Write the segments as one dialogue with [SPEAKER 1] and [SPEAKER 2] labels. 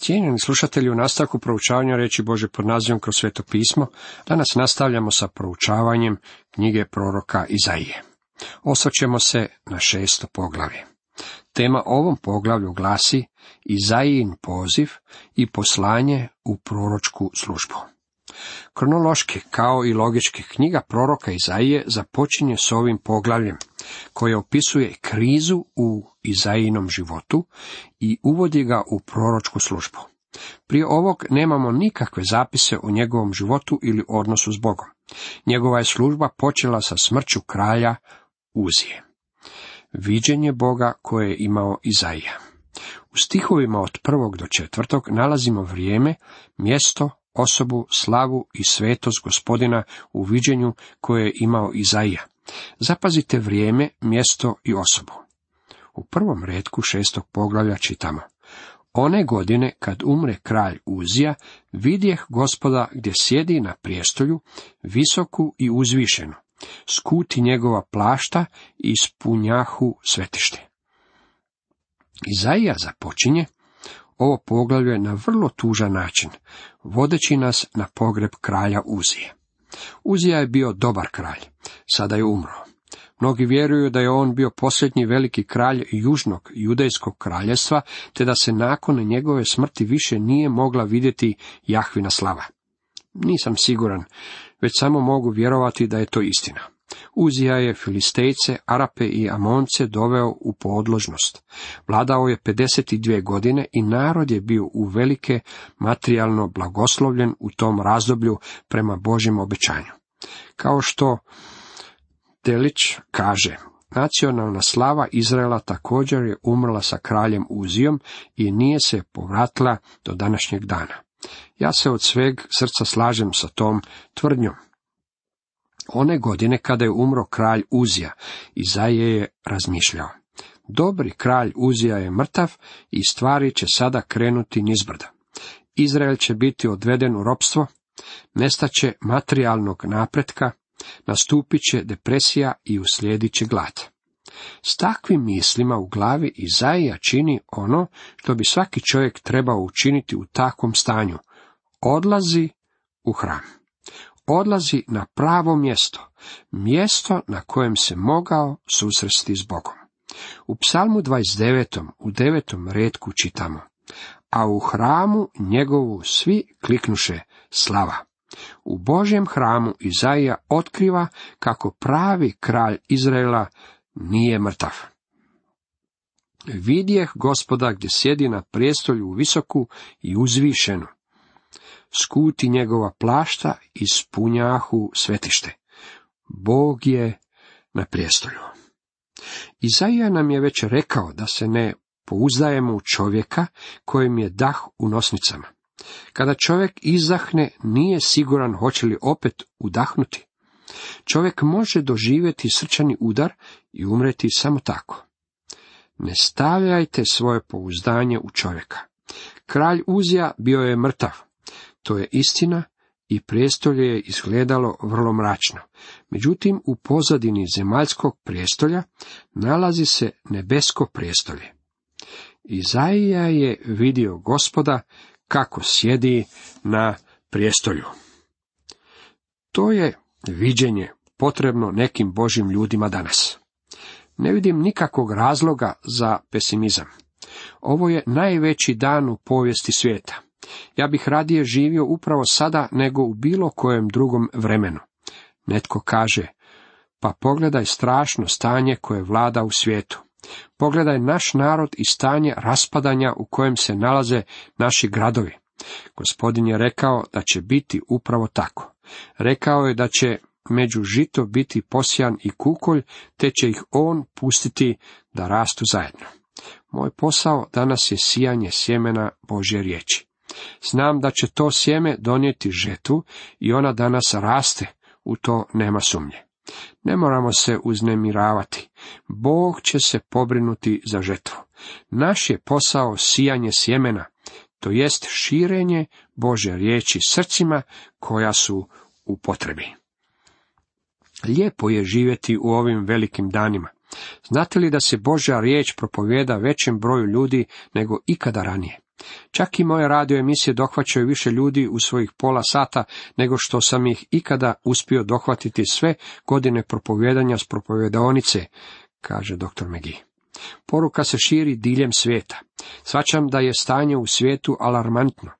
[SPEAKER 1] Cijenjeni slušatelji, u nastavku proučavanja riječi Božje pod nazivom Kroz Sveto pismo, danas nastavljamo sa proučavanjem knjige proroka Izaije. Osvrćemo se na 6. poglavlje. Tema ovom poglavlju glasi Izajin poziv i poslanje u proročku službu. Kronološki, kao i logički, knjiga proroka Izaije započinje s ovim poglavljem, koje opisuje krizu u Izajinom životu i uvodi ga u proročku službu. Prije ovog nemamo nikakve zapise o njegovom životu ili odnosu s Bogom. Njegova je služba počela sa smrću kralja Uzije. Viđenje Boga koje je imao Izaija. U stihovima od 1. do 4. nalazimo vrijeme, mjesto, osobu, slavu i svetost Gospodina u viđenju koje je imao Izaija. Zapazite vrijeme, mjesto i osobu. U prvom retku 6. poglavlja čitamo: One godine kad umre kralj Uzija, vidjeh Gospoda gdje sjedi na prijestolju, visoku i uzvišenu, skuti njegova plašta i ispunjahu svetište. Izaija započinje ovo poglavlje na vrlo tužan način, vodeći nas na pogreb kralja Uzije. Uzija je bio dobar kralj, sada je umro. Mnogi vjeruju da je on bio posljednji veliki kralj južnog judejskog kraljevstva, te da se nakon njegove smrti više nije mogla vidjeti Jahvina slava. Nisam siguran, već samo mogu vjerovati da je to istina. Uzija je Filistejce, Arape i Amonce doveo u podložnost. Vladao je 52 godine i narod je bio uvelike materijalno blagoslovljen u tom razdoblju prema Božjem obećanju. Kao što Delić kaže, nacionalna slava Izraela također je umrla sa kraljem Uzijom i nije se povratila do današnjeg dana. Ja se od sveg srca slažem sa tom tvrdnjom. One godine kada je umro kralj Uzija, Izaija je razmišljao: dobri kralj Uzija je mrtav i stvari će sada krenuti nizbrdo. Izrael će biti odveden u ropstvo, nestaće materijalnog napretka, nastupit će depresija i uslijedit će glad. S takvim mislima u glavi Izaija čini ono što bi svaki čovjek trebao učiniti u takvom stanju: odlazi u hram. Odlazi na pravo mjesto, mjesto na kojem se mogao susresti s Bogom. U Psalmu 29. u 9. retku čitamo: a u hramu njegovu svi kliknuše slava. U Božjem hramu Izaija otkriva kako pravi kralj Izraela nije mrtav. Vidjeh Gospoda gdje sjedi na prijestolju visoku i uzvišenu, skuti njegova plašta i ispunjahu svetište. Bog je na prijestolju. Izaija nam je već rekao da se ne pouzdajemo u čovjeka kojem je dah u nosnicama. Kada čovjek izdahne, nije siguran hoće li opet udahnuti. Čovjek može doživjeti srčani udar i umreti samo tako. Ne stavljajte svoje pouzdanje u čovjeka. Kralj Uzija bio je mrtav. To je istina i prijestolje je izgledalo vrlo mračno. Međutim, u pozadini zemaljskog prijestolja nalazi se nebesko prijestolje. Izaija je vidio Gospoda kako sjedi na prijestolju. To je viđenje potrebno nekim Božjim ljudima danas. Ne vidim nikakvog razloga za pesimizam. Ovo je najveći dan u povijesti svijeta. Ja bih radije živio upravo sada nego u bilo kojem drugom vremenu. Netko kaže: pa pogledaj strašno stanje koje vlada u svijetu. Pogledaj naš narod i stanje raspadanja u kojem se nalaze naši gradovi. Gospodin je rekao da će biti upravo tako. Rekao je da će među žito biti posijan i kukolj, te će ih on pustiti da rastu zajedno. Moj posao danas je sijanje sjemena Božje riječi. Znam da će to sjeme donijeti žetvu i ona danas raste, u to nema sumnje. Ne moramo se uznemiravati. Bog će se pobrinuti za žetvu. Naš je posao sijanje sjemena, to jest širenje Božje riječi srcima koja su u potrebi. Lijepo je živjeti u ovim velikim danima. Znate li da se Božja riječ propovijeda većem broju ljudi nego ikada ranije? Čak i moje radio emisije dohvaćaju više ljudi u svojih pola sata nego što sam ih ikada uspio dohvatiti sve godine propovijedanja s propovijedaonice, kaže dr. McGee. Poruka se širi diljem svijeta. Shvaćam da je stanje u svijetu alarmantno.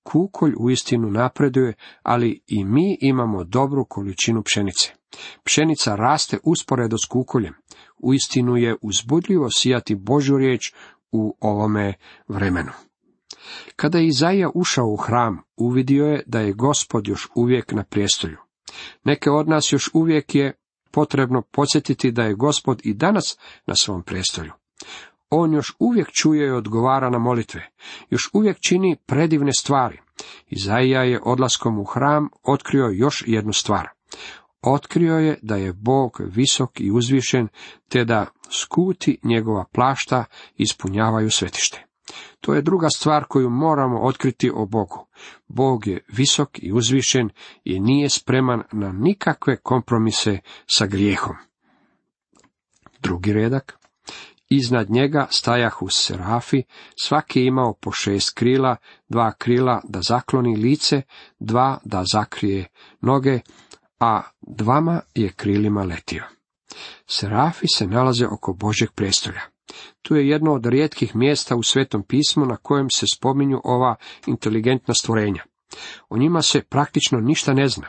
[SPEAKER 1] Kukolj uistinu napreduje, ali i mi imamo dobru količinu pšenice. Pšenica raste usporedo s kukoljem. Uistinu je uzbudljivo sijati Božju riječ u ovome vremenu. Kada je Izaija ušao u hram, uvidio je da je Gospod još uvijek na prijestolju. Neke od nas još uvijek je potrebno podsjetiti da je Gospod i danas na svom prijestolju. On još uvijek čuje i odgovara na molitve, još uvijek čini predivne stvari. Izaija je odlaskom u hram otkrio još jednu stvar. Otkrio je da je Bog visok i uzvišen, te da skuti njegova plašta ispunjavaju svetište. To je druga stvar koju moramo otkriti o Bogu. Bog je visok i uzvišen i nije spreman na nikakve kompromise sa grijehom. Drugi redak. Iznad njega stajahu serafi, svaki je imao po 6 krila, 2 krila da zakloni lice, 2 da zakrije noge, a 2 je krilima letio. Serafi se nalaze oko Božjeg prijestolja. Tu je jedno od rijetkih mjesta u Svetom pismu na kojem se spominju ova inteligentna stvorenja. O njima se praktično ništa ne zna.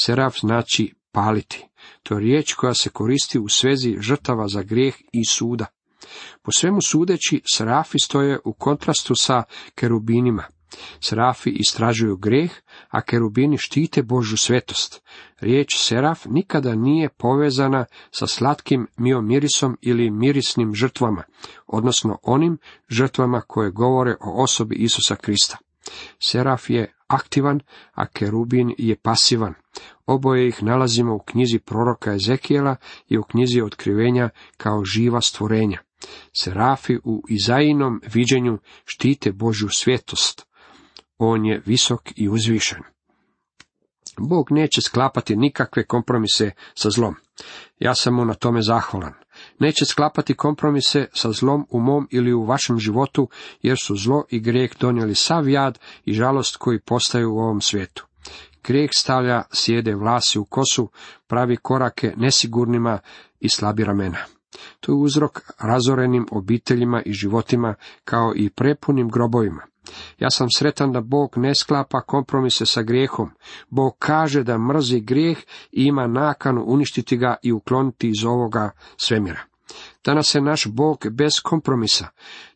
[SPEAKER 1] Seraf znači paliti. To je riječ koja se koristi u svezi žrtava za grijeh i suda. Po svemu sudeći, serafi stoje u kontrastu sa kerubinima. Serafi istražuju grijeh, a kerubini štite Božju svetost. Riječ seraf nikada nije povezana sa slatkim miomirisom ili mirisnim žrtvama, odnosno onim žrtvama koje govore o osobi Isusa Krista. Seraf je aktivan, a kerubin je pasivan. Oboje ih nalazimo u knjizi proroka Ezekijela i u knjizi Otkrivenja kao živa stvorenja. Serafi u Izaijinom viđenju štite Božju svetost. On je visok i uzvišen. Bog neće sklapati nikakve kompromise sa zlom. Ja sam mu na tome zahvalan. Neće sklapati kompromise sa zlom u mom ili u vašem životu, jer su zlo i grijeh donijeli sav jad i žalost koji postaju u ovom svijetu. Grijeh stavlja sjede vlasi u kosu, pravi korake nesigurnima i slabi ramena. To je uzrok razorenim obiteljima i životima, kao i prepunim grobovima. Ja sam sretan da Bog ne sklapa kompromise sa grijehom. Bog kaže da mrzi grijeh i ima nakanu uništiti ga i ukloniti iz ovoga svemira. Danas se naš Bog bez kompromisa,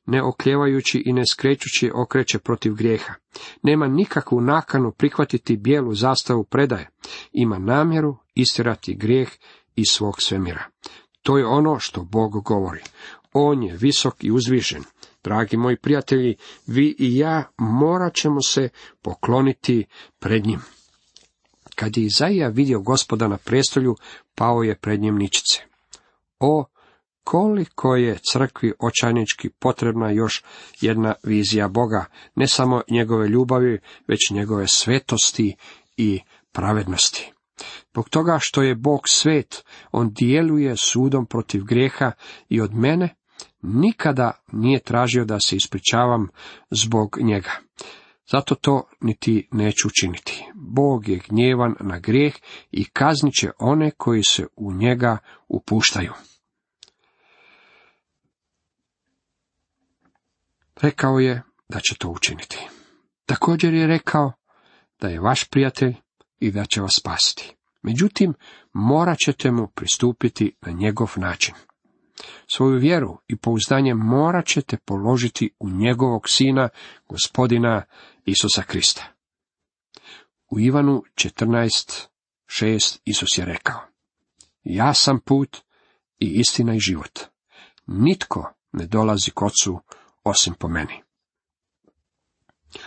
[SPEAKER 1] ne okljevajući i ne skrećući, okreće protiv grijeha. Nema nikakvu nakanu prihvatiti bijelu zastavu predaje. Ima namjeru istjerati grijeh iz svog svemira. To je ono što Bog govori. On je visok i uzvišen. Dragi moji prijatelji, vi i ja morat ćemo se pokloniti pred njim. Kad je Izaija vidio Gospoda na prijestolju, pao je pred njim ničice. O, koliko je crkvi očajnički potrebna još jedna vizija Boga, ne samo njegove ljubavi, već njegove svetosti i pravednosti. Zbog toga što je Bog svet, on djeluje sudom protiv grijeha i od mene nikada nije tražio da se ispričavam zbog njega. Zato to niti neću učiniti. Bog je gnjevan na grijeh i kaznit će one koji se u njega upuštaju. Rekao je da će to učiniti. Također je rekao da je vaš prijatelj i da će vas spasiti. Međutim, morat ćete mu pristupiti na njegov način. Svoju vjeru i pouzdanje morat ćete položiti u njegovog sina, Gospodina Isusa Krista. U Ivanu 14:6 Isus je rekao: Ja sam put i istina i život. Nitko ne dolazi k Ocu osim po meni.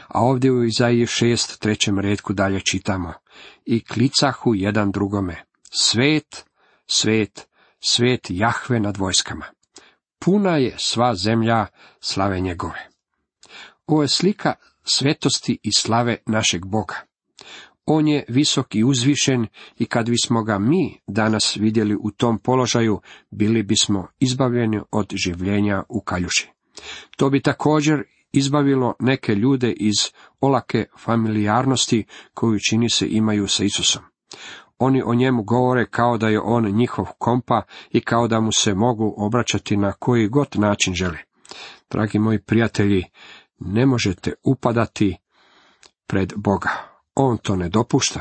[SPEAKER 1] A ovdje u Izaiji 6:3 retku dalje čitamo: I klicahu jedan drugome: Svet, svet, svet Jahve nad vojskama. Puna je sva zemlja slave njegove. Ovo je slika svetosti i slave našeg Boga. On je visok i uzvišen i kad bismo ga mi danas vidjeli u tom položaju, bili bismo izbavljeni od življenja u kaljuži. To bi također izbavilo neke ljude iz olake familijarnosti koju čini se imaju sa Isusom. Oni o njemu govore kao da je on njihov kompa i kao da mu se mogu obraćati na koji god način žele. Dragi moji prijatelji, ne možete upadati pred Boga. On to ne dopušta.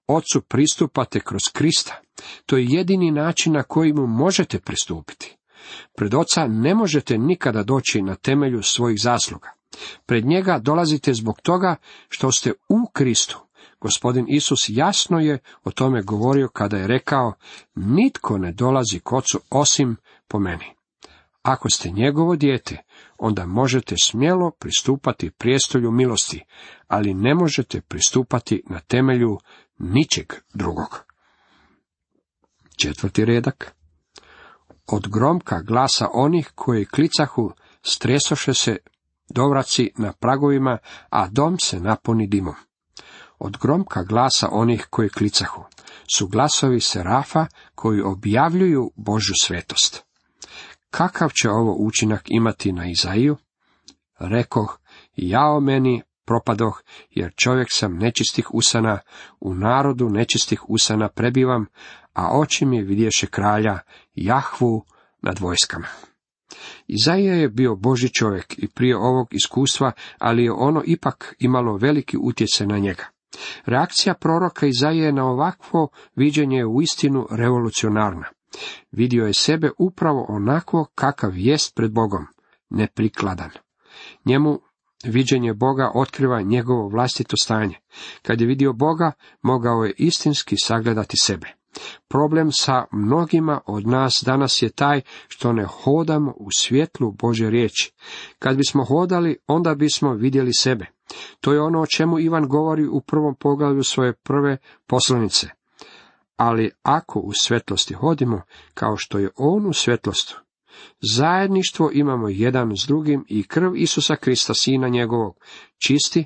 [SPEAKER 1] Ocu pristupate kroz Krista. To je jedini način na koji mu možete pristupiti. Pred Oca ne možete nikada doći na temelju svojih zasluga. Pred njega dolazite zbog toga što ste u Kristu. Gospodin Isus jasno je o tome govorio kada je rekao: nitko ne dolazi k Ocu osim po meni. Ako ste njegovo dijete, onda možete smjelo pristupati prijestolju milosti, ali ne možete pristupati na temelju ničeg drugog. 4. redak. Od gromka glasa onih koji klicahu stresoše se dovraci na pragovima, a dom se napuni dimom. Od gromka glasa onih koji klicahu su glasovi serafa koji objavljuju Božju svetost. Kakav će ovo učinak imati na Izaiju? Rekoh: jao meni, propadoh, jer čovjek sam nečistih usana, u narodu nečistih usana prebivam, a oči mi vidješe kralja, Jahvu nad vojskama. Izaija je bio Božji čovjek i prije ovog iskustva, ali je ono ipak imalo veliki utjecaj na njega. Reakcija proroka Izaije na ovakvo viđenje je uistinu revolucionarna. Vidio je sebe upravo onako kakav jest pred Bogom, neprikladan. Njemu viđenje Boga otkriva njegovo vlastito stanje. Kad je vidio Boga, mogao je istinski sagledati sebe. Problem sa mnogima od nas danas je taj što ne hodamo u svjetlu Božje riječi. Kad bismo hodali, onda bismo vidjeli sebe. To je ono o čemu Ivan govori u 1. poglavlju svoje prve poslanice. Ali ako u svjetlosti hodimo, kao što je on u svjetlosti, zajedništvo imamo jedan s drugim i krv Isusa Krista, Sina njegovog, čisti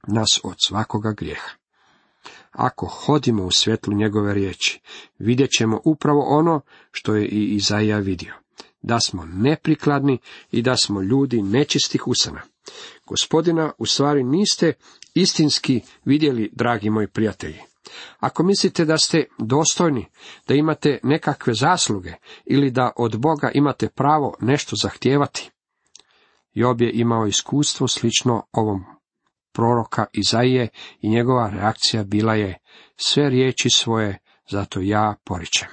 [SPEAKER 1] nas od svakoga grijeha. Ako hodimo u svjetlu njegove riječi, vidjet ćemo upravo ono što je i Izaija vidio, da smo neprikladni i da smo ljudi nečistih usana. Gospodina u stvari niste istinski vidjeli, dragi moji prijatelji. Ako mislite da ste dostojni, da imate nekakve zasluge ili da od Boga imate pravo nešto zahtijevati, Job je imao iskustvo slično ovom proroka Izaije i njegova reakcija bila je: sve riječi svoje zato ja poričem.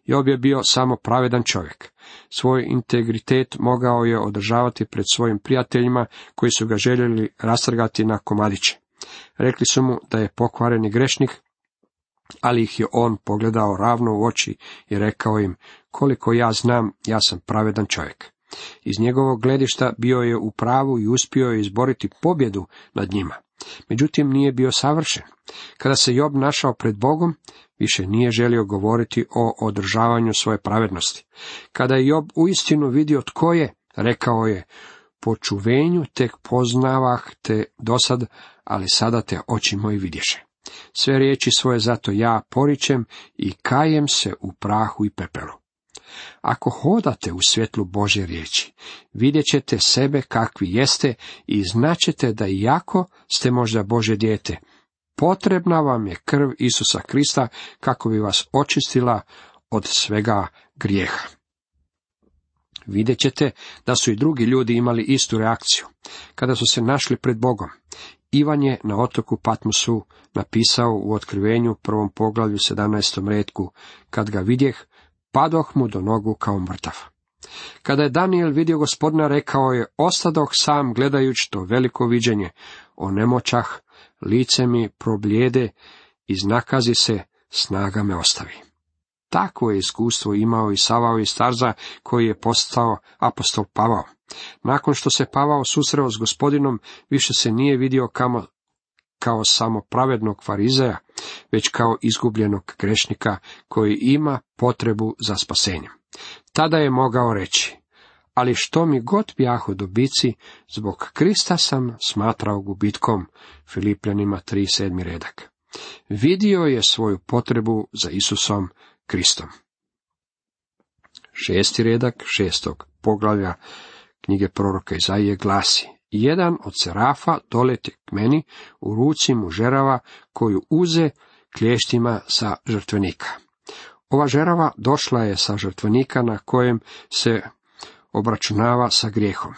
[SPEAKER 1] Job je bio samo pravedan čovjek. Svoj integritet mogao je održavati pred svojim prijateljima koji su ga željeli rastrgati na komadiće. Rekli su mu da je pokvareni grešnik, ali ih je on pogledao ravno u oči i rekao im: koliko ja znam, ja sam pravedan čovjek. Iz njegovog gledišta bio je u pravu i uspio je izboriti pobjedu nad njima. Međutim, nije bio savršen. Kada se Job našao pred Bogom, više nije želio govoriti o održavanju svoje pravednosti. Kada je Job uistinu vidio tko je, rekao je: po čuvenju tek poznavah te dosad, ali sada te oči moji vidješe. Sve riječi svoje zato ja poričem i kajem se u prahu i pepelu. Ako hodate u svjetlu Božje riječi, vidjet ćete sebe kakvi jeste i znaćete da iako ste možda Božje dijete, potrebna vam je krv Isusa Krista kako bi vas očistila od svega grijeha. Vidjet ćete da su i drugi ljudi imali istu reakciju. Kada su se našli pred Bogom, Ivan je na otoku Patmosu napisao u Otkrivenju 1. poglavlju 17. retku: kad ga vidjeh, padoh mu do nogu kao mrtav. Kada je Danijel vidio Gospodina, rekao je: ostadoh sam gledajući to veliko viđenje, onemoćah, lice mi problijede, iznakazi se, snaga me ostavi. Takvo je iskustvo imao i Savao iz Tarza, koji je postao apostol Pavao. Nakon što se Pavao susreo s Gospodinom, više se nije vidio kao samo pravednog farizeja, već kao izgubljenog grešnika koji ima potrebu za spasenjem. Tada je mogao reći: ali što mi god bjahu dobici, zbog Krista sam smatrao gubitkom. Filipljanima 3:7 redak. Vidio je svoju potrebu za Isusom Kristom. 6. redak 6. poglavlja knjige proroka Izaije glasi: jedan od serafa dolete k meni, u ruci mu žerava koju uze klještima sa žrtvenika. Ova žerava došla je sa žrtvenika na kojem se obračunava sa grijehom.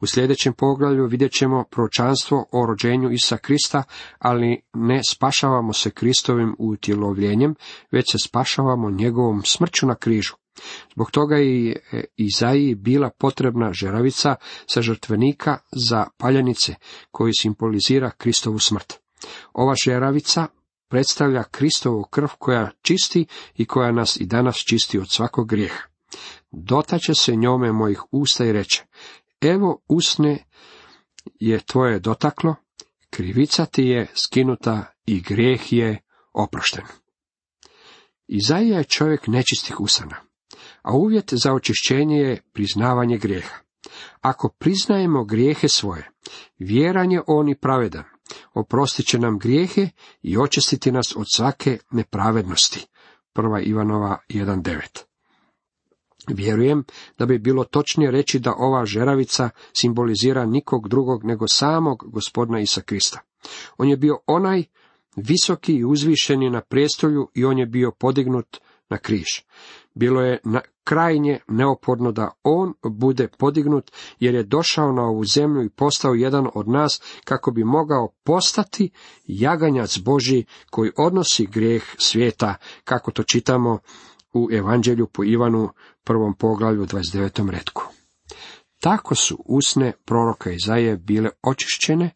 [SPEAKER 1] U sljedećem poglavlju vidjet ćemo proročanstvo o rođenju Isusa Krista, ali ne spašavamo se Kristovim utjelovljenjem, već se spašavamo njegovom smrću na križu. Zbog toga je Izaiji bila potrebna žeravica sa žrtvenika za paljenice, koji simbolizira Kristovu smrt. Ova žeravica predstavlja Kristovu krv koja čisti i koja nas i danas čisti od svakog grijeha. Dotače se njome mojih usta i reče: evo usne je tvoje dotaklo, krivica ti je skinuta i grijeh je oprošten. Izaija je čovjek nečistih usana, a uvjet za očišćenje je priznavanje grijeha. Ako priznajemo grijehe svoje, vjeran je on i pravedan, oprostit će nam grijehe i očistiti nas od svake nepravednosti. 1. Ivanova 1.9. Vjerujem da bi bilo točnije reći da ova žeravica simbolizira nikog drugog nego samog Gospodina Isusa Krista. On je bio onaj visoki i uzvišeni na prijestolju i on je bio podignut na križ. Bilo je krajnje neophodno da on bude podignut, jer je došao na ovu zemlju i postao jedan od nas, kako bi mogao postati jaganjac Božji koji odnosi grijeh svijeta, kako to čitamo u Evanđelju po Ivanu 1. poglavlju 29. retku. Tako su usne proroka Izaije bile očišćene.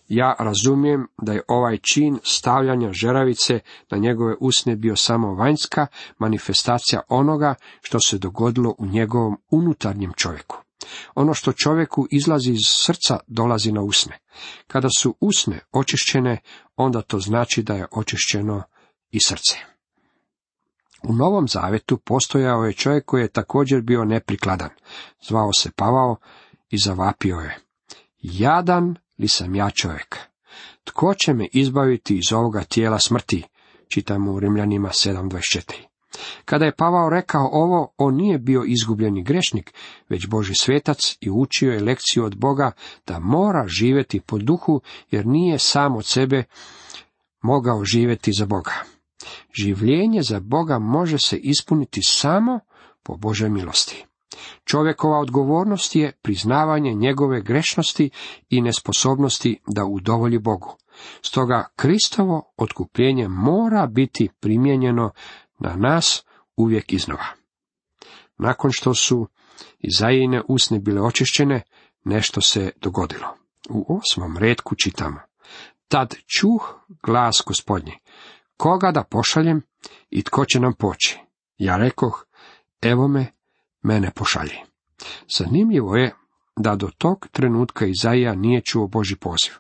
[SPEAKER 1] Ja razumijem da je ovaj čin stavljanja žeravice na njegove usne bio samo vanjska manifestacija onoga što se dogodilo u njegovom unutarnjem čovjeku. Ono što čovjeku izlazi iz srca dolazi na usne. Kada su usne očišćene, onda to znači da je očišćeno i srce. U Novom Zavetu postojao je čovjek koji je također bio neprikladan. Zvao se Pavao i zavapio je: jadan li sam ja čovjek? Tko će me izbaviti iz ovoga tijela smrti? Čitamo u Rimljanima 7.24. Kada je Pavao rekao ovo, on nije bio izgubljeni grešnik, već Božji svetac i učio je lekciju od Boga da mora živjeti po duhu, jer nije sam od sebe mogao živjeti za Boga. Življenje za Boga može se ispuniti samo po Božoj milosti. Čovjekova odgovornost je priznavanje njegove grešnosti i nesposobnosti da udovolji Bogu. Stoga Kristovo otkupljenje mora biti primijenjeno na nas uvijek iznova. Nakon što su Izaijine usne bile očišćene, nešto se dogodilo. U 8. retku čitamo: tad čuh glas Gospodnji: koga da pošaljem i tko će nam poći? Ja rekoh: evo me, mene pošalji. Zanimljivo je da do tog trenutka Izaija nije čuo Božji poziv.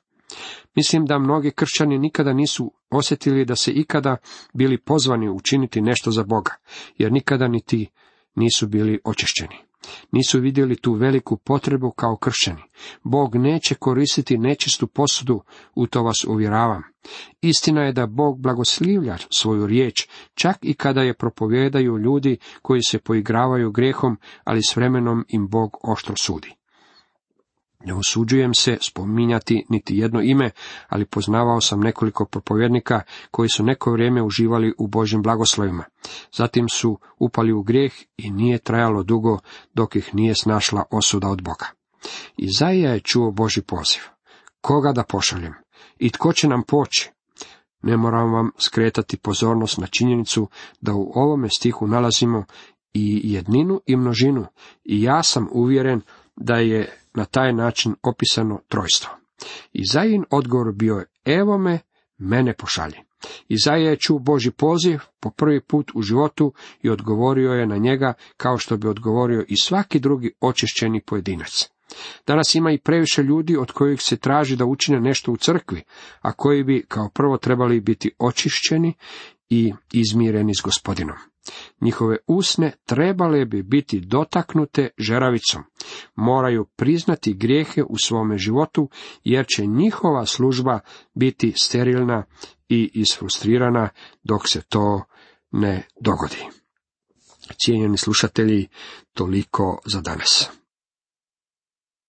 [SPEAKER 1] Mislim da mnogi kršćani nikada nisu osjetili da se ikada bili pozvani učiniti nešto za Boga, jer nikada niti nisu bili očišćeni. Nisu vidjeli tu veliku potrebu kao kršćani. Bog neće koristiti nečistu posudu, u to vas uvjeravam. Istina je da Bog blagoslivlja svoju riječ, čak i kada je propovijedaju ljudi koji se poigravaju grijehom, ali s vremenom im Bog oštro sudi. Ne usuđujem se spominjati niti jedno ime, ali poznavao sam nekoliko propovjednika koji su neko vrijeme uživali u Božjim blagoslovima. Zatim su upali u grijeh i nije trajalo dugo dok ih nije snašla osuda od Boga. Izaija je čuo Božji poziv: koga da pošaljem i tko će nam poći? Ne moram vam skretati pozornost na činjenicu da u ovome stihu nalazimo i jedninu i množinu, i ja sam uvjeren da je na taj način opisano trojstvo. Izaijin odgovor bio je: evo me, mene pošalji. Izaija je čuo Božji poziv po prvi put u životu i odgovorio je na njega kao što bi odgovorio i svaki drugi očišćeni pojedinac. Danas ima i previše ljudi od kojih se traži da učine nešto u crkvi, a koji bi kao prvo trebali biti očišćeni i izmireni s Gospodinom. Njihove usne trebale bi biti dotaknute žeravicom. Moraju priznati grijehe u svome životu, jer će njihova služba biti sterilna i isfrustrirana dok se to ne dogodi. Cijenjeni slušatelji, toliko za danas.